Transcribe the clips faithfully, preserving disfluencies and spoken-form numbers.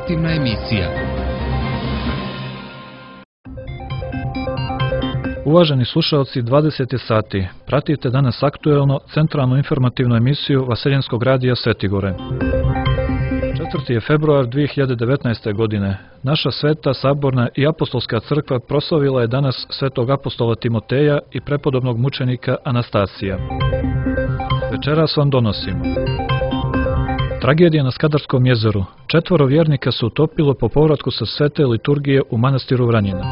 informativna emisija. Uvaženi slušalci, dvadeset je sati. Pratite danas aktuelno centralnu informativnu emisiju Vaseljenskog radija Svetigore. četvrti je februar dvije hiljade devetnaeste. godine. Naša sveta, saborna i apostolska crkva proslavila je danas svetog apostola Timoteja i prepodobnog mučenika Anastasija. Večeras vam donosimo tragedija na Skadarskom jezeru. Četvoro vjernika se utopilo po povratku sa svete liturgije u manastiru Vranjina.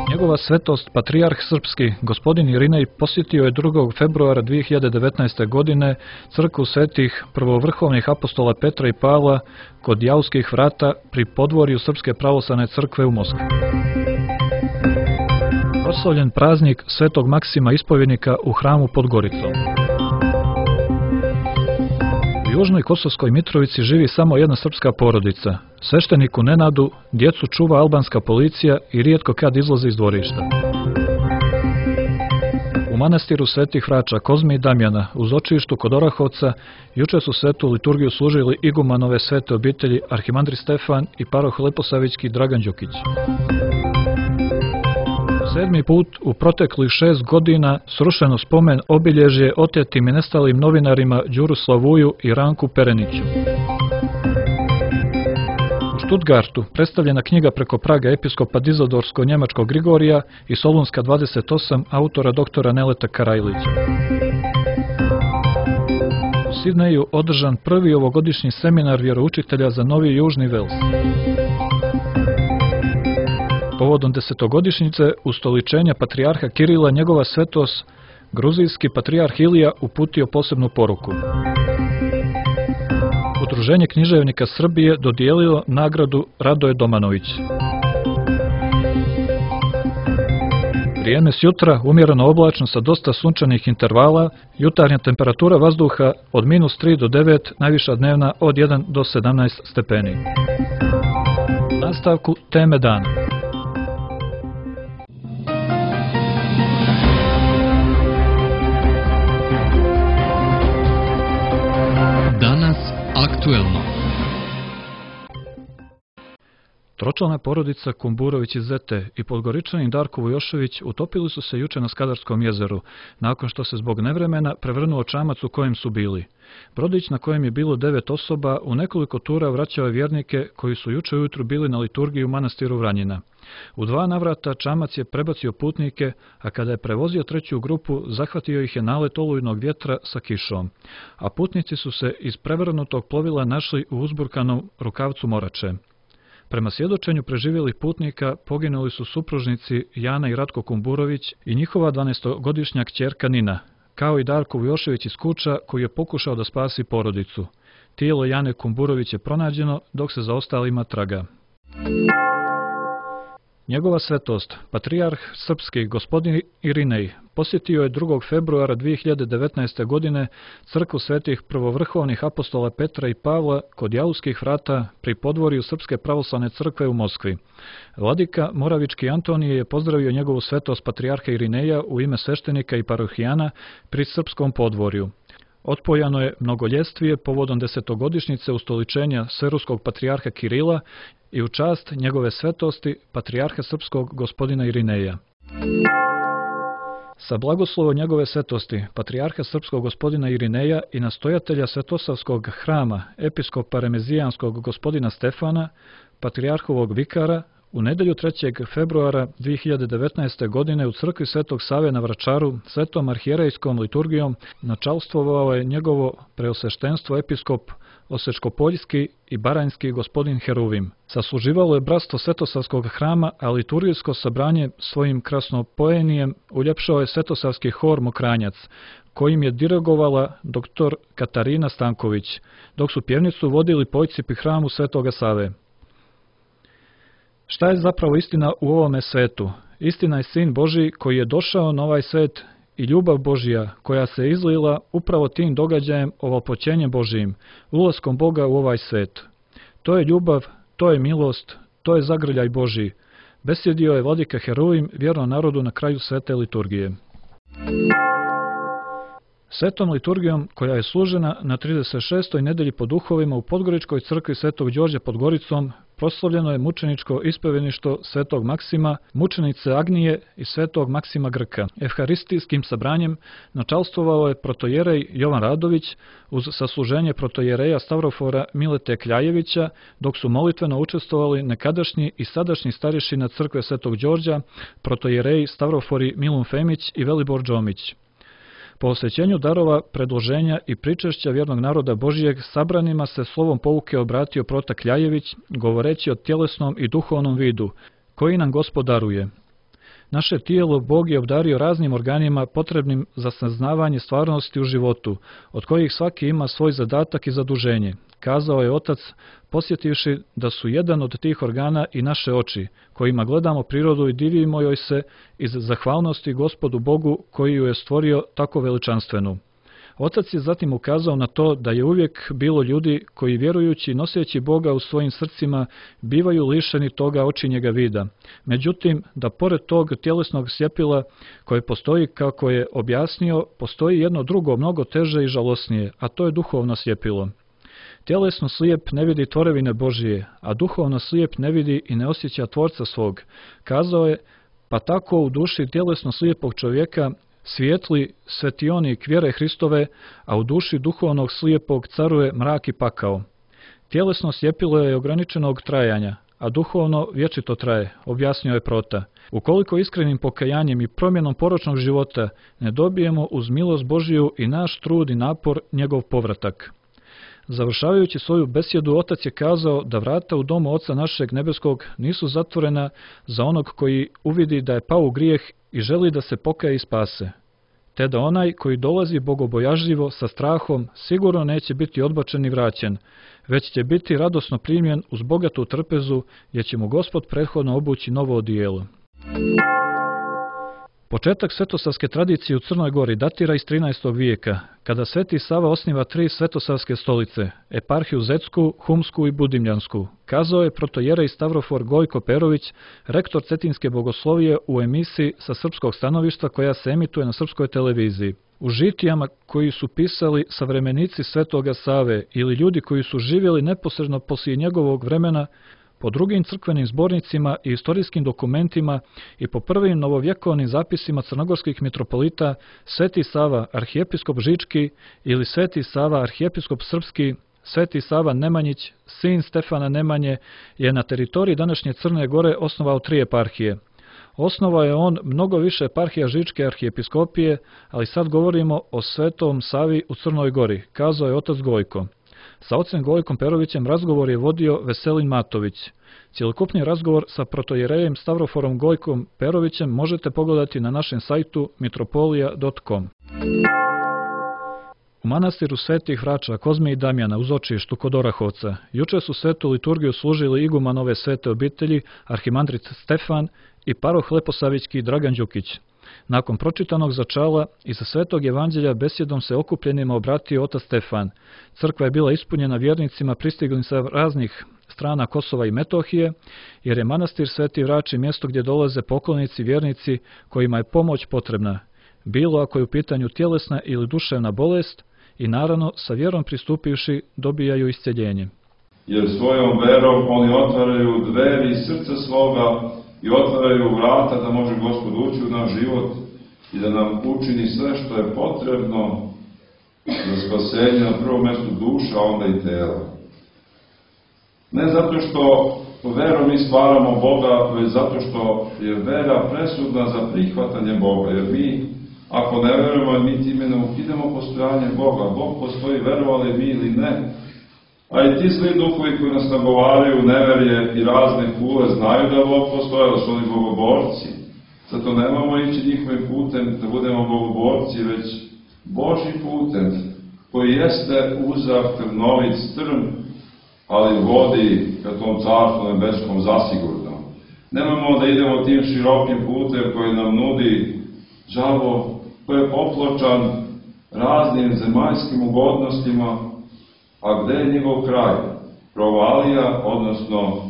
Njegova svetost, patrijarh srpski, gospodin Irinej, posjetio je drugog februara dvije hiljade devetnaeste. godine crkvu svetih prvovrhovnih apostola Petra i Pavla kod Javskih vrata pri podvorju Srpske pravoslavne crkve u Moskvi. Proslavljen praznik svetog Maksima ispovjednika u hramu pod Goricom. U južnoj Kosovskoj Mitrovici živi samo jedna srpska porodica. Svešteniku Nenadu djecu čuva albanska policija i rijetko kad izlazi iz dvorišta. U manastiru svetih vraća Kozme i Damjana uz očištu kod Orahovca juče su svetu liturgiju služili igumanove svete obitelji arhimandri Stefan i paroh Leposavićki Dragan Đukić. Sedmi put u proteklih šest godina srušeno spomen obilježje otetim i nestalim novinarima Đuru Slavuju i Ranku Pereniću. U Stuttgartu predstavljena knjiga preko praga episkopa Dizodorsko-njemačkog Grigorija i Solunska dvadeset osam autora doktora Neleta Karajlića. U Sidneju održan prvi ovogodišnji seminar vjeroučitelja za Novi Južni Vels. Povodom desetogodišnjice ustoličenja patrijarha Kirila njegova svetost, gruzijski patrijarh Ilija uputio posebnu poruku. Udruženje književnika Srbije dodijelilo nagradu Radoje Domanović. Vrijeme s jutra umjereno oblačno sa dosta sunčanih intervala, jutarnja temperatura vazduha od minus tri do devet, najviša dnevna od jedan do sedamnaest stepeni. U nastavku teme dana. Danas aktuelno. Tročlana porodica Kumburović iz Zete i Podgoričanin Darko Vujošević utopili su se juče na Skadarskom jezeru, nakon što se zbog nevremena prevrnuo čamac u kojem su bili. Brodić na kojem je bilo devet osoba u nekoliko tura vraćao je vjernike koji su juče ujutru bili na liturgiji u manastiru Vranjina. U dva navrata čamac je prebacio putnike, a kada je prevozio treću grupu, zahvatio ih je nalet olujnog vjetra sa kišom, a putnici su se iz prevrnutog plovila našli u uzburkanom rukavcu Morače. Prema svjedočenju preživjelih putnika poginuli su supružnici Jana i Ratko Kumburović i njihova dvanaestogodišnja kćerka Nina, kao i Darko Vujošević iz Kuča koji je pokušao da spasi porodicu. Tijelo Jane Kumburović je pronađeno dok se za ostalima traga. Njegova svetost, patrijarh srpski gospodin Irinej, posjetio je drugog februara dvije hiljade devetnaeste. godine crkvu svetih prvovrhovnih apostola Petra i Pavla kod Javskih vrata pri podvorju Srpske pravoslavne crkve u Moskvi. Vladika Moravički Antonije je pozdravio njegovu svetost patrijarha Irineja u ime sveštenika i parohijana pri srpskom podvorju. Otpojano je mnogoljestvije povodom desetogodišnjice ustoličenja sveruskog patrijarha Kirila i u čast njegove svetosti patrijarha srpskog gospodina Irineja. Sa blagoslovom njegove svetosti patrijarha srpskog gospodina Irineja i nastojatelja Svetosavskog hrama episkopa Remezijanskog gospodina Stefana, patrijarhovog vikara, u nedjelju trećeg februara dvije hiljade devetnaeste. godine u crkvi Svetog Save na Vračaru svetom arhijerejskom liturgijom načalstvovao je njegovo preosveštenstvo episkop Osečko-Poljski i Baranjski gospodin Heruvim. Sasluživalo je bratstvo Svetosavskog hrama, a liturgijsko sabranje svojim krasnopoenijem uljepšao je Svetosavski hor Mokranjac, kojim je dirigovala doktor Katarina Stanković, dok su pjevnicu vodili pojci pri hramu Svetoga Save. Šta je zapravo istina u ovome svetu? Istina je Sin Božji koji je došao na ovaj svet i ljubav Božja koja se izlila upravo tim događajem ovopoćenjem Božijim, ulaskom Boga u ovaj svet. To je ljubav, to je milost, to je zagrljaj Božji. Besjedio je vladika Heruvim vjernom narodu na kraju svete liturgije. Svetom liturgijom, koja je služena na trideset šestoj nedelji po duhovima u Podgoričkoj crkvi Svetog Đorđa pod Goricom, proslavljeno je mučeničko ispovjedništvo Svetog Maksima, mučenice Agnije i Svetog Maksima Grka. Evharistijskim sabranjem načalstvovao je protojerej Jovan Radović uz sasluženje protojereja Stavrofora Milete Kljajevića, dok su molitveno učestvovali nekadašnji i sadašnji starješina crkve Svetog Đorđa, protojereji Stavrofori Milun Femić i Velibor Đomić. Po osvećenju darova, predloženja i pričešća vjernog naroda Božijeg sabranima se slovom pouke obratio prota Kljajević, govoreći o tjelesnom i duhovnom vidu, koji nam Gospod daruje. Naše tijelo Bog je obdario raznim organima potrebnim za saznavanje stvarnosti u životu, od kojih svaki ima svoj zadatak i zaduženje, kazao je otac, posjetivši da su jedan od tih organa i naše oči, kojima gledamo prirodu i divimo joj se iz zahvalnosti Gospodu Bogu koji ju je stvorio tako veličanstvenu. Otac je zatim ukazao na to da je uvijek bilo ljudi koji vjerujući i noseći Boga u svojim srcima bivaju lišeni toga očinjega vida. Međutim, da pored tog tjelesnog sjepila koje postoji, kako je objasnio, postoji jedno drugo mnogo teže i žalosnije, a to je duhovno sjepilo. Tjelesno slijep ne vidi tvorevine Božije, a duhovno slijep ne vidi i ne osjeća tvorca svog. Kazao je, pa tako u duši tjelesno slijepog čovjeka svijetli svetionik vjere Hristove, a u duši duhovnog slijepog caruje mrak i pakao. Tjelesno sjepilo je ograničenog trajanja, a duhovno vječito traje, objasnio je prota. Ukoliko iskrenim pokajanjem i promjenom poročnog života ne dobijemo uz milost Božiju i naš trud i napor njegov povratak. Završavajući svoju besjedu, otac je kazao da vrata u domu Oca našeg nebeskog nisu zatvorena za onog koji uvidi da je pao u grijeh i želi da se pokaje i spase, te da onaj koji dolazi bogobojažljivo sa strahom sigurno neće biti odbačen i vraćen, već će biti radosno primljen uz bogatu trpezu, jer će mu Gospod prethodno obući novo odijelo. Početak svetosavske tradicije u Crnoj Gori datira iz trinaestog vijeka, kada Sveti Sava osniva tri svetosavske stolice, eparhiju Zetsku, Humsku i Budimljansku, kazao je protojerej Stavrofor Gojko Perović, rektor Cetinske bogoslovije u emisiji sa srpskog stanovišta koja se emituje na srpskoj televiziji. U žitijama koji su pisali savremenici Svetoga Save ili ljudi koji su živjeli neposredno poslije njegovog vremena, po drugim crkvenim zbornicima i istorijskim dokumentima i po prvim novovjekovnim zapisima crnogorskih mitropolita, Sveti Sava arhijepiskop Žički ili Sveti Sava arhijepiskop Srpski, Sveti Sava Nemanjić, sin Stefana Nemanje, je na teritoriji današnje Crne Gore osnovao tri eparhije. Osnovao je on mnogo više eparhija Žičke arhijepiskopije, ali sad govorimo o Svetom Savi u Crnoj Gori, kazao je otac Gojko. Sa ocem Gojkom Perovićem razgovor je vodio Veselin Matović. Cjelokupni razgovor sa protojerejem Stavroforom Gojkom Perovićem možete pogledati na našem sajtu mitropolija dot com. U manastiru Svetih Vrača Kozme i Damjana uz Očištu kod Orahovca juče su svetu liturgiju služili iguman ove svete obitelji, arhimandrit Stefan i paroh Leposavićki Dragan Đukić. Nakon pročitanog začala iz Svetog Evanđelja besjedom se okupljenima obratio otac Stefan. Crkva je bila ispunjena vjernicima pristiglim sa raznih strana Kosova i Metohije, jer je manastir Sveti Vrači mjesto gdje dolaze poklonici vjernici kojima je pomoć potrebna, bilo ako je u pitanju tjelesna ili duševna bolest, i naravno sa vjerom pristupivši dobijaju isceljenje. Jer svojom verom oni otvaraju dveri srca svoga i otvaraju vrata da može Gospod ući u naš život i da nam učini sve što je potrebno za spasenje na prvom mjestu duša, a onda i tela. Ne zato što verom mi stvaramo Boga, već zato što je vera presudna za prihvatanje Boga, jer mi, ako ne verujemo, mi time ne ukidamo postojanje Boga. Bog postoji, verovali mi ili ne. A i ti zli duhovi koji nas nagovaraju neverje i razne kule znaju da Bog postoji, ali su oni bogoborci. Zato nemamo ići njihovim putem da budemo bogoborci, već Božji putem, koji jeste uzak, trnovit, strm, ali vodi ka tom carstvu nebeskom zasigurno. Nemamo da idemo tim širokim putem koji nam nudi đavo, koji je popločan raznim zemaljskim ugodnostima, a gde je njegov kraj? Provalija, odnosno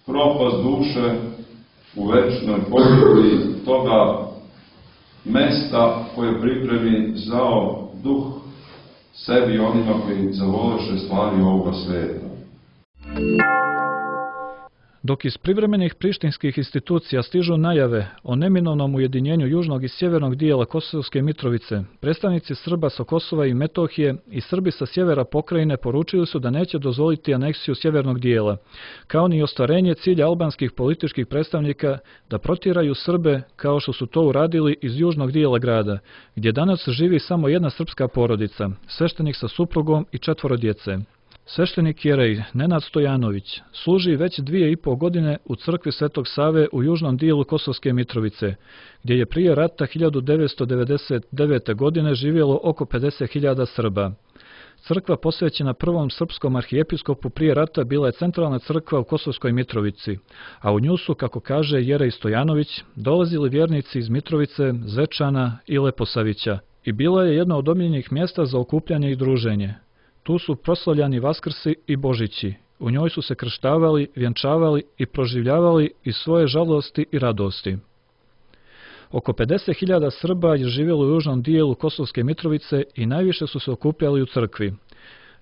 propast duše u večnoj pogibli toga mesta koje pripremi zao duh sebi i onima koji zavoliše stvari ovoga sveta. Dok iz privremenih prištinskih institucija stižu najave o neminovnom ujedinjenju južnog i sjevernog dijela Kosovske Mitrovice, predstavnici Srba sa Kosova i Metohije i Srbi sa sjevera pokrajine poručili su da neće dozvoliti aneksiju sjevernog dijela, kao ni ostvarenje cilja albanskih političkih predstavnika da protjeraju Srbe kao što su to uradili iz južnog dijela grada, gdje danas živi samo jedna srpska porodica, sveštenik sa suprugom i četvoro djece. Sveštenik jerej Nenad Stojanović služi već dvije i pol godine u crkvi Svetog Save u južnom dijelu Kosovske Mitrovice, gdje je prije rata hiljadu devetsto devedeset devete. godine živjelo oko pedeset hiljada Srba. Crkva posvećena prvom srpskom arhijepiskopu prije rata bila je centralna crkva u Kosovskoj Mitrovici, a u nju su, kako kaže jerej Stojanović, dolazili vjernici iz Mitrovice, Zvečana i Leposavića i bila je jedna od omiljenih mjesta za okupljanje i druženje. Tu su proslavljani Vaskrsi i Božići. U njoj su se krštavali, vjenčavali i proživljavali iz svoje žalosti i radosti. Oko pedeset hiljada Srba je živjelo u južnom dijelu Kosovske Mitrovice i najviše su se okupljali u crkvi.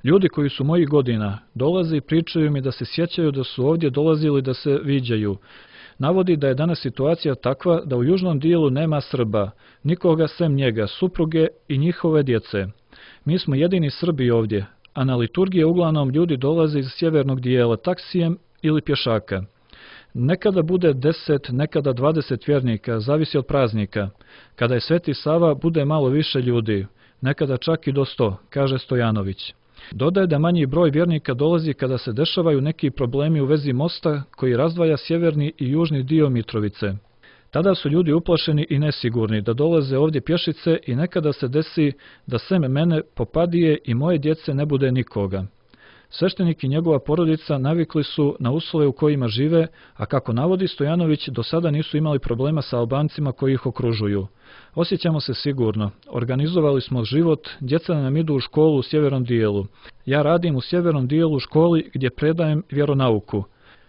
Ljudi koji su mojih godina dolaze i pričaju mi da se sjećaju da su ovdje dolazili da se viđaju. Navodi da je danas situacija takva da u južnom dijelu nema Srba, nikoga sem njega, supruge i njihove djece. Mi smo jedini Srbi ovdje, a na liturgije uglavnom ljudi dolaze iz sjevernog dijela taksijem ili pješaka. Nekada bude deset, nekada dvadeset vjernika, zavisi od praznika. Kada je Sveti Sava, bude malo više ljudi, nekada čak i do sto, kaže Stojanović. Dodaje da manji broj vjernika dolazi kada se dešavaju neki problemi u vezi mosta koji razdvaja sjeverni i južni dio Mitrovice. Tada su ljudi uplašeni i nesigurni da dolaze ovdje pješice i nekada se desi da sem mene popadije i moje djece ne bude nikoga. Sveštenik i njegova porodica navikli su na uslove u kojima žive, a kako navodi Stojanović, do sada nisu imali problema sa Albancima koji ih okružuju. Osjećamo se sigurno, organizovali smo život, djeca nam idu u školu u sjevernom dijelu. Ja radim u sjevernom dijelu u školi gdje predajem vjeronauku.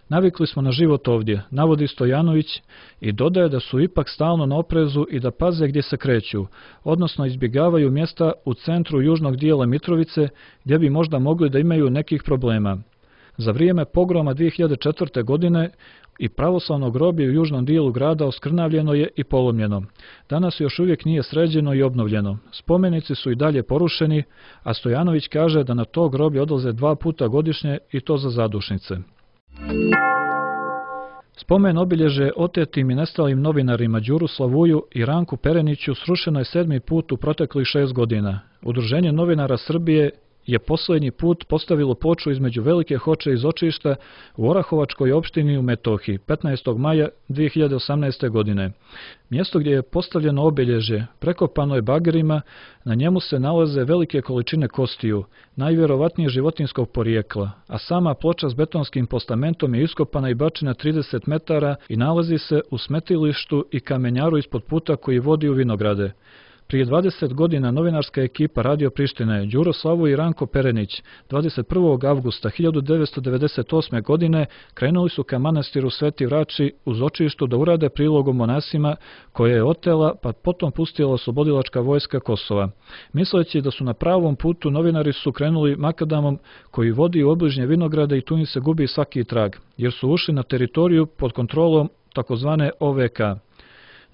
Navikli smo na život ovdje, navodi Stojanović i dodaje da su ipak stalno na oprezu i da paze gdje se kreću, odnosno izbjegavaju mjesta u centru južnog dijela Mitrovice gdje bi možda mogli da imaju nekih problema. Za vrijeme pogroma dvije hiljade četvrte. godine i pravoslavno groblje u južnom dijelu grada oskrnavljeno je i polomljeno. Danas još uvijek nije sređeno i obnovljeno. Spomenici su i dalje porušeni, a Stojanović kaže da na to groblje odlaze dva puta godišnje i to za zadušnice. Spomen obilježe otetim i nestalim novinarima Đuru Slavuju i Ranku Pereniću srušeno je sedmi put u proteklih šest godina. Udruženje novinara Srbije je posljednji put postavilo ploču između Velike Hoče iz Očišta u Orahovačkoj opštini u Metohiji petnaestog maja dvije hiljade osamnaeste. godine. Mjesto gdje je postavljeno obilježje prekopano je bagerima, na njemu se nalaze velike količine kostiju, najvjerovatnije životinskog porijekla, a sama ploča s betonskim postamentom je iskopana i bačena trideset metara i nalazi se u smetilištu i kamenjaru ispod puta koji vodi u vinograde. Prije dvadeset godina novinarska ekipa Radio Prištine Đuro Slavu i Ranko Perenić dvadeset prvog avgusta hiljadu devetsto devedeset osme. godine krenuli su ka manastiru Sveti Vrači uz Očištu da urade prilog o monasima koje je otela pa potom pustila oslobodilačka vojska Kosova. Misleći da su na pravom putu, novinari su krenuli makadamom koji vodi u obližnje vinograde i tu im se gubi svaki trag, jer su ušli na teritoriju pod kontrolom takozvane O V K.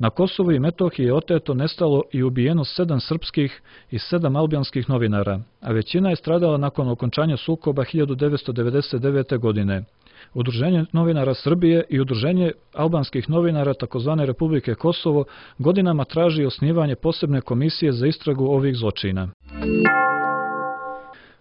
Na Kosovu i Metohiji je oteto, nestalo i ubijeno sedam srpskih i sedam albanskih novinara, a većina je stradala nakon okončanja sukoba hiljadu devetsto devedeset devete. godine. Udruženje novinara Srbije i Udruženje albanskih novinara takozvane Republike Kosovo godinama traži osnivanje posebne komisije za istragu ovih zločina.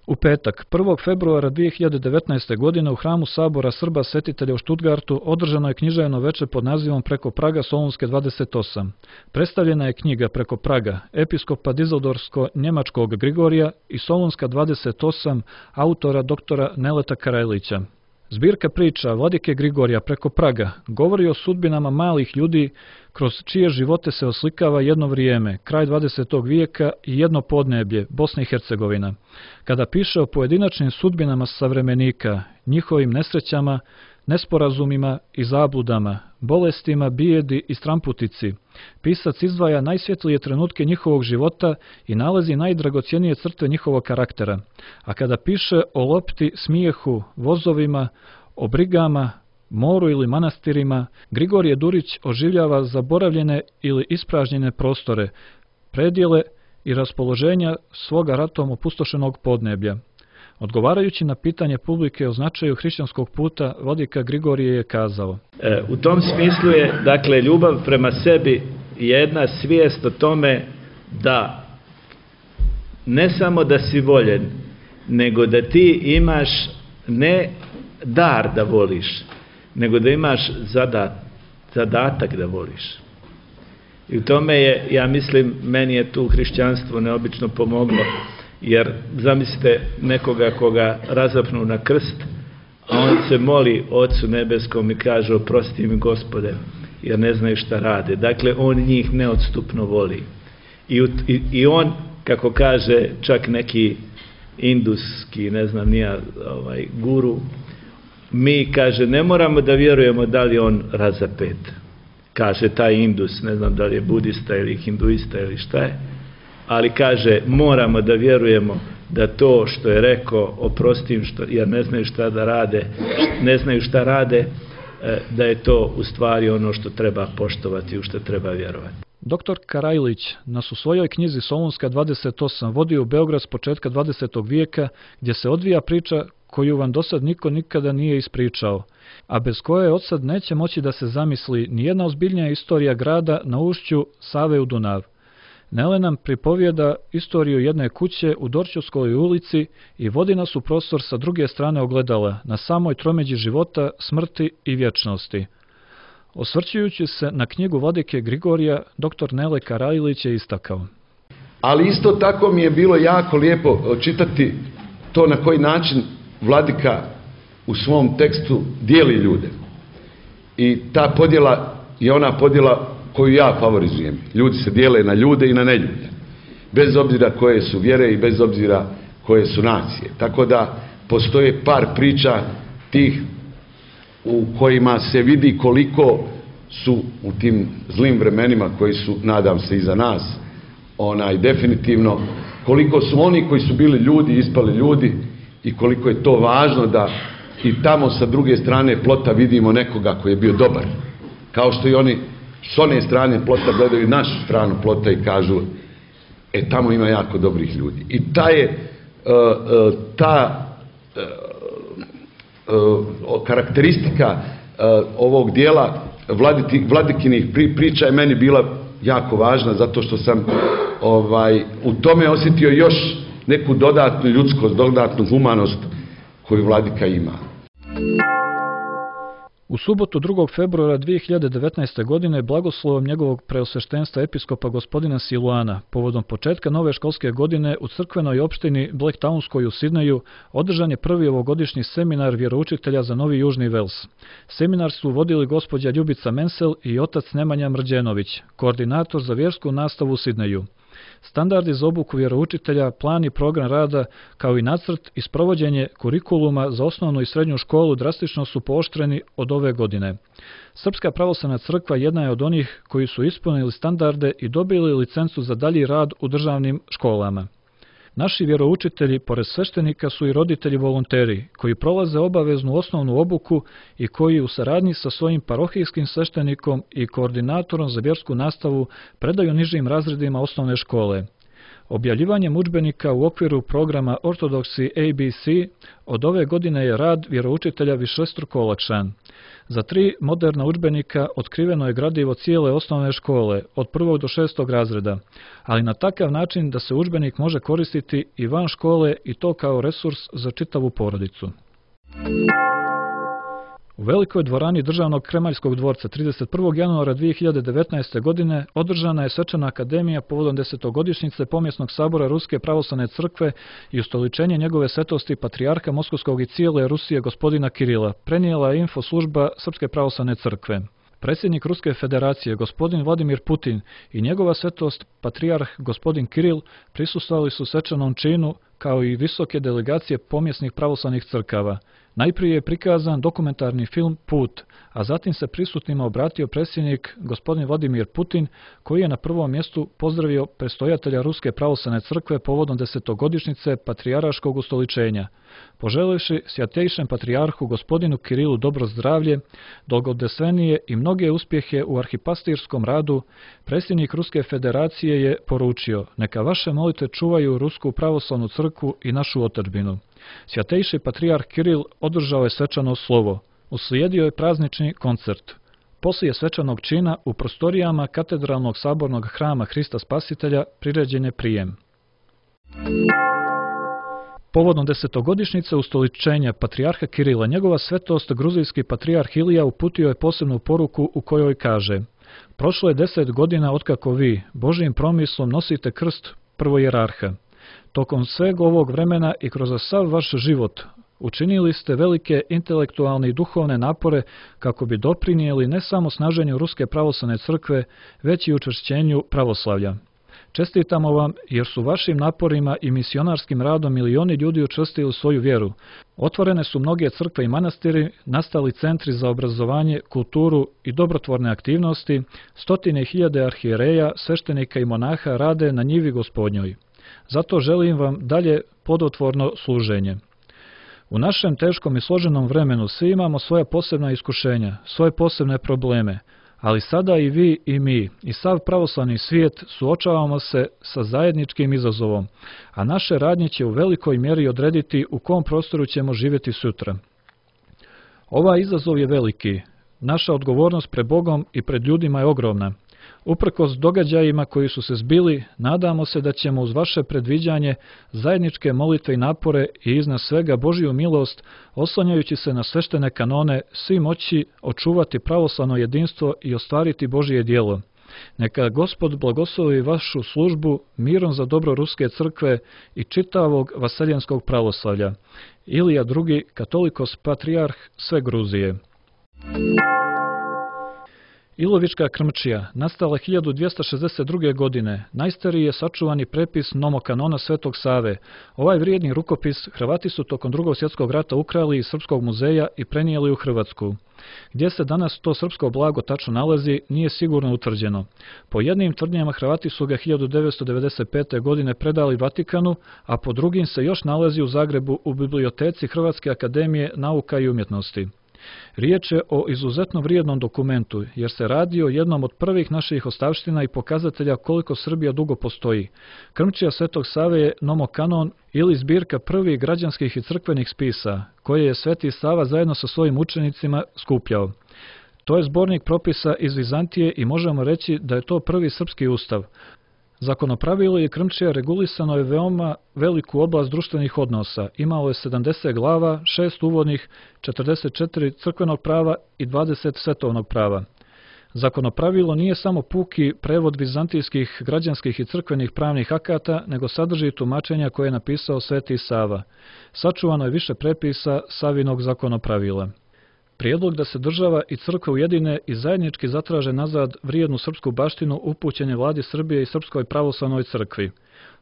U petak, prvog februara dvije hiljade devetnaeste. godine u hramu Sabora Srba Svetitelja u Štutgartu održano je književno veče pod nazivom Preko praga Solunske dvadeset osam. Predstavljena je knjiga Preko praga episkopa Dizeldorfsko-njemačkog Grigorija i Solunska dvadeset osam autora doktora Neleta Karajlića. Zbirka priča vladike Grigorija Preko praga govori o sudbinama malih ljudi kroz čije živote se oslikava jedno vrijeme, kraj dvadesetog vijeka i jedno podneblje, Bosna i Hercegovina. Kada piše o pojedinačnim sudbinama savremenika, njihovim nesrećama, nesporazumima i zabludama, bolestima, bijedi i stramputici. Pisac izdvaja najsvjetlije trenutke njihovog života i nalazi najdragocjenije crte njihovog karaktera. A kada piše o lopti, smijehu, vozovima, o brigama, moru ili manastirima, Grigorije Durić oživljava zaboravljene ili ispražnjene prostore, predjele i raspoloženja svoga ratom opustošenog podneblja. Odgovarajući na pitanje publike o značaju hrišćanskog puta, vladika Grigorije je kazao: E, u tom smislu je, dakle, ljubav prema sebi jedna svijest o tome da ne samo da si voljen, nego da ti imaš ne dar da voliš, nego da imaš zadat, zadatak da voliš. I u tome je, ja mislim, meni je tu hrišćanstvo neobično pomoglo, jer zamislite nekoga koga razapnu na krst, a on se moli Ocu nebeskom i kaže: oprosti mi, Gospode, jer ne znaju šta rade. Dakle, on njih neodstupno voli. I, i, i on, kako kaže čak neki induski, ne znam nija, ovaj, guru, mi, kaže, ne moramo da vjerujemo da li on razapet. Kaže taj Indus, ne znam da li je budista ili hinduista ili šta je, ali kaže, moramo da vjerujemo da to što je rekao oprostim što, jer ne znaju šta da rade, ne znaju šta rade, da je to u stvari ono što treba poštovati, u što treba vjerovati. Doktor Karajlić nas u svojoj knjizi Solunska dvadeset osam vodi u Beograd s početka dvadesetog vijeka, gdje se odvija priča koju vam dosad niko nikada nije ispričao, a bez koje odsad neće moći da se zamisli nijedna ozbiljnija istorija grada na ušću Save u Dunav. Nele nam pripovijeda istoriju jedne kuće u Dorćolskoj ulici i vodi nas u prostor sa druge strane ogledala, na samoj tromeđi života, smrti i vječnosti. Osvrćujući se na knjigu vladike Grigorija, doktor Nele Karajlić je istakao: ali isto tako mi je bilo jako lijepo čitati to na koji način vladika u svom tekstu dijeli ljude. I ta podjela je ona podjela koju ja favorizujem. Ljudi se dijele na ljude i na neljude, bez obzira koje su vjere i bez obzira koje su nacije. Tako da postoje par priča tih u kojima se vidi koliko su u tim zlim vremenima koji su, nadam se, iza nas, onaj, definitivno, koliko su oni koji su bili ljudi ispali ljudi i koliko je to važno da i tamo sa druge strane plota vidimo nekoga koji je bio dobar. Kao što i oni s one strane plota gledaju našu stranu plota i kažu: e, tamo ima jako dobrih ljudi. I ta je uh, uh, ta uh, uh, karakteristika uh, ovog dijela vladiti, vladikinih pri, priča je meni bila jako važna, zato što sam ovaj, u tome osjetio još neku dodatnu ljudskost, dodatnu humanost koju vladika ima. U subotu drugog februara dvije hiljade devetnaeste. godine blagoslovom njegovog preosveštenstva episkopa gospodina Siluana, povodom početka nove školske godine u crkvenoj opštini Blacktownskoj u Sidneju, održan je prvi ovogodišnji seminar vjeroučitelja za Novi Južni Vels. Seminar su vodili gospođa Ljubica Mensel i otac Nemanja Mrđenović, koordinator za vjersku nastavu u Sidneju. Standardi za obuku vjeroučitelja, plan i program rada, kao i nacrt i sprovođenje kurikuluma za osnovnu i srednju školu drastično su pooštreni od ove godine. Srpska pravoslavna crkva jedna je od onih koji su ispunili standarde i dobili licencu za dalji rad u državnim školama. Naši vjeroučitelji, pored sveštenika, su i roditelji volonteri, koji prolaze obaveznu osnovnu obuku i koji u saradnji sa svojim parohijskim sveštenikom i koordinatorom za vjersku nastavu predaju nižim razredima osnovne škole. Objavljivanjem udžbenika u okviru programa Ortodoksi A B C od ove godine je rad vjeroučitelja višestruko olakšan. Za tri moderna udžbenika otkriveno je gradivo cijele osnovne škole, od prvog do šestog razreda, ali na takav način da se udžbenik može koristiti i van škole i to kao resurs za čitavu porodicu. U velikoj dvorani Državnog kremaljskog dvorca trideset prvog januara dvije hiljade devetnaeste. godine održana je svečana akademija povodom desetogodišnjice pomjesnog sabora Ruske pravoslavne crkve i ustoličenje njegove svetosti patrijarha Moskovskog i cijele Rusije gospodina Kirila, prenijela je info služba Srpske pravoslavne crkve. Predsjednik Ruske federacije gospodin Vladimir Putin i njegova svetost patrijarh gospodin Kiril prisustvovali su svečanom činu, kao i visoke delegacije pomjesnih pravoslavnih crkava. Najprije je prikazan dokumentarni film Put, a zatim se prisutnima obratio predsjednik gospodin Vladimir Putin, koji je na prvom mjestu pozdravio predstojatelja Ruske pravoslavne crkve povodom desetogodišnjice patrijaraškog ustoličenja, poželivši svjatejšem patrijarhu gospodinu Kirilu dobro zdravlje, dolgodesenije i mnoge uspjehe u arhipastirskom radu. Predsjednik Ruske federacije je poručio: neka vaše molitve čuvaju Rusku pravoslavnu crkvu i našu otadžbinu. Svjatejši patrijarh Kiril održao je svečano slovo. Uslijedio je praznični koncert. Poslije svečanog čina u prostorijama katedralnog sabornog hrama Hrista Spasitelja priređen je prijem. Povodom desetogodišnjice ustoličenja patrijarha Kirila, njegova svetost gruzijski patrijarh Ilija uputio je posebnu poruku u kojoj kaže: prošlo je deset godina otkako vi, Božjim promislom, nosite krst prvojerarha. Tokom sveg ovog vremena i kroz sav vaš život učinili ste velike intelektualne i duhovne napore kako bi doprinijeli ne samo snaženju Ruske pravoslavne crkve, već i učvršćenju pravoslavlja. Čestitamo vam jer su vašim naporima i misionarskim radom milioni ljudi učvrstili svoju vjeru. Otvorene su mnoge crkve i manastiri, nastali centri za obrazovanje, kulturu i dobrotvorne aktivnosti, stotine hiljade arhijereja, sveštenika i monaha rade na njivi Gospodnjoj. Zato želim vam dalje plodotvorno služenje. U našem teškom i složenom vremenu svi imamo svoja posebna iskušenja, svoje posebne probleme, ali sada i vi i mi i sav pravoslavni svijet suočavamo se sa zajedničkim izazovom, a naše radnje će u velikoj mjeri odrediti u kom prostoru ćemo živjeti sutra. Ovaj izazov je veliki, naša odgovornost pred Bogom i pred ljudima je ogromna. Uprkos događajima koji su se zbili, nadamo se da ćemo uz vaše predviđanje, zajedničke molitve i napore i iznad svega Božju milost, oslanjajući se na sveštene kanone, svi moći očuvati pravoslavno jedinstvo i ostvariti Božje djelo. Neka Gospod blagoslovi vašu službu mirom za dobro Ruske crkve i čitavog vaseljenskog pravoslavlja. Ilija drugi, katolikos patrijarh sve Gruzije. Ilovička krmčija, nastala hiljadu dvjesto šezdeset druge. godine, najstariji je sačuvani prepis nomokanona Svetog Save. Ovaj vrijedni rukopis Hrvati su tokom Drugog svjetskog rata ukrali iz Srpskog muzeja i prenijeli u Hrvatsku. Gdje se danas to srpsko blago tačno nalazi, nije sigurno utvrđeno. Po jednim tvrdnjama Hrvati su ga hiljadu devetsto devedeset pete. godine predali Vatikanu, a po drugim se još nalazi u Zagrebu u biblioteci Hrvatske akademije nauka i umjetnosti. Riječ je o izuzetno vrijednom dokumentu, jer se radi o jednom od prvih naših ostavština i pokazatelja koliko Srbija dugo postoji. Krmčija Svetog Save je nomokanon ili zbirka prvih građanskih i crkvenih spisa, koje je Sveti Sava zajedno sa svojim učenicima skupljao. To je zbornik propisa iz Vizantije i možemo reći da je to prvi srpski ustav. Zakonopravilo i krmčija regulisano je veoma veliku oblast društvenih odnosa. Imalo je sedamdeset glava, šest uvodnih, četrdeset četiri crkvenog prava i dvadeset svetovnog prava. Zakonopravilo nije samo puki prevod vizantijskih građanskih i crkvenih pravnih akata, nego sadrži tumačenja koje je napisao Sveti Sava. Sačuvano je više prepisa Savinog zakonopravila. Prijedlog da se država i crkva ujedine i zajednički zatraže nazad vrijednu srpsku baštinu upućen je Vladi Srbije i Srpskoj pravoslavnoj crkvi.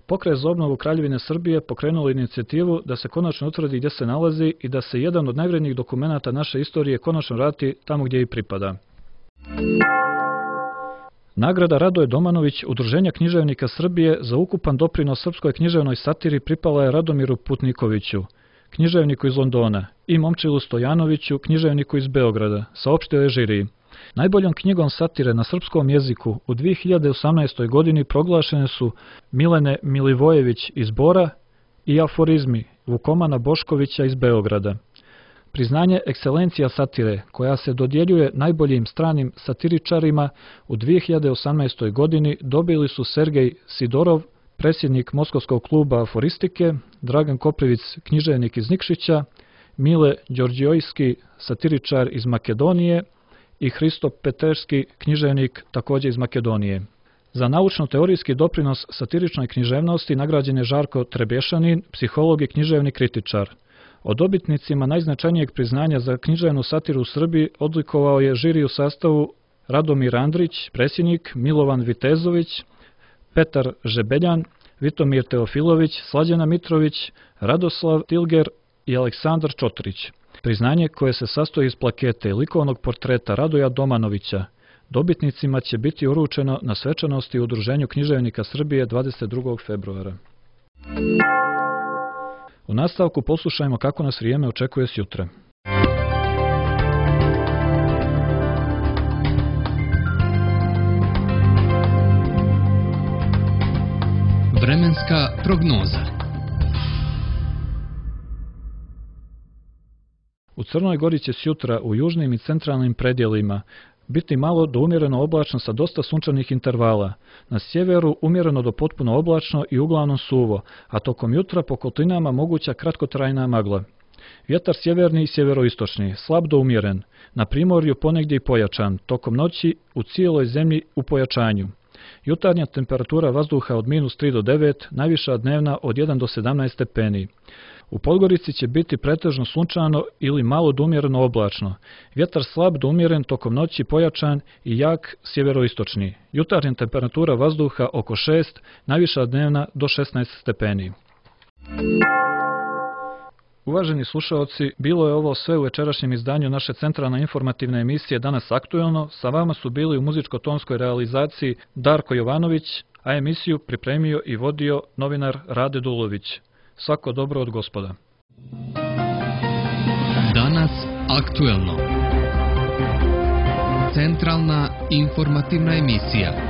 Pokret za obnovu Kraljevine Srbije pokrenuo inicijativu da se konačno utvrdi gdje se nalazi i da se jedan od najvrednijih dokumenata naše istorije konačno vrati tamo gdje i pripada. Nagrada Radoje Domanović, Udruženja književnika Srbije, za ukupan doprinos srpskoj književnoj satiri pripala je Radomiru Putnikoviću, književniku iz Londona, i Momčilu Stojanoviću, književniku iz Beograda, saopštio je žiriji. Najboljom knjigom satire na srpskom jeziku u dvije hiljade osamnaestoj. godini proglašene su Milene Milivojević iz Bora i Aforizmi Vukomana Boškovića iz Beograda. Priznanje Ekscelencija satire, koja se dodjeljuje najboljim stranim satiričarima, u dvije hiljade osamnaestoj. godini dobili su Sergej Sidorov, predsjednik Moskovskog kluba aforistike, Dragan Koprivic, književnik iz Nikšića, Mile Đorđojski, satiričar iz Makedonije, i Hristo Peterski, književnik također iz Makedonije. Za naučno-teorijski doprinos satiričnoj književnosti nagrađen je Žarko Trebješanin, psiholog i književni kritičar. O dobitnicima najznačajnijeg priznanja za književnu satiru u Srbiji odlikovao je žiri u sastavu Radomir Andrić, predsjednik, Milovan Vitezović, Petar Žebeljan, Vitomir Teofilović, Slađana Mitrović, Radoslav Tilger i Aleksandar Čotrić. Priznanje koje se sastoji iz plakete i likovnog portreta Radoja Domanovića dobitnicima će biti uručeno na svečanosti u Udruženju književnika Srbije dvadeset drugog februara. U nastavku poslušajmo kako nas vrijeme očekuje sjutra. Vremenska prognoza. U Crnoj Gori će sjutra u južnim i centralnim predjelima biti malo do umjereno oblačno sa dosta sunčanih intervala. Na sjeveru umjereno do potpuno oblačno i uglavnom suvo, a tokom jutra po kolinama moguća kratkotrajna magla. Vjetar sjeverni i sjeveroistočni, slab do umjeren, na primorju ponegdje i pojačan, tokom noći u cijeloj zemlji u pojačanju. Jutarnja temperatura vazduha od minus tri do devet, najviša dnevna od jedan do sedamnaest stepeni. U Podgorici će biti pretežno sunčano ili malo do umjereno oblačno. Vjetar slab do umjeren, tokom noći pojačan i jak sjeveroistočni. Jutarnja temperatura vazduha oko šest, najviša dnevna do šesnaest stepeni. Uvaženi slušaoci, bilo je ovo sve u večerašnjem izdanju naše centralne informativne emisije Danas aktuelno. Sa vama su bili u muzičko-tonskoj realizaciji Darko Jovanović, a emisiju pripremio i vodio novinar Rade Dulović. Svako dobro od Gospoda. Danas aktuelno. Centralna informativna emisija.